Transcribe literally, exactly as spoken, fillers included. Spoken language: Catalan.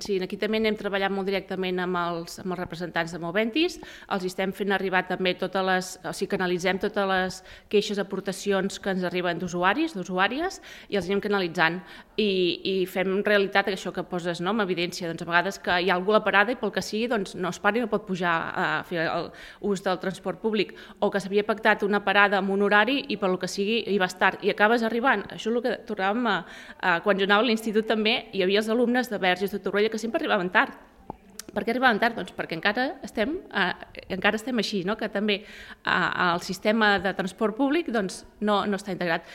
Sí, aquí també anem treballant molt directament amb els, amb els representants de Moventis, els estem fent arribar també totes les, o sigui, canalitzem totes les queixes, aportacions que ens arriben d'usuaris, d'usuàries, i els anem canalitzant. I, i fem realitat això que poses, no?, amb evidència. Doncs a vegades que hi ha algú a la parada i pel que sigui doncs no es para i no pot pujar a fer l'ús del transport públic, o que s'havia pactat una parada amb un horari i pel que sigui hi vas tard i acabes arribant. Això és el que tornàvem a, a quan jo anava a l'institut també hi havia els alumnes de Verges, de Torroella, que sempre arribaven tard. Per què arribaven tard? Doncs perquè encara estem, eh, encara estem així, no?, que també eh, el sistema de transport públic doncs, no, no està integrat.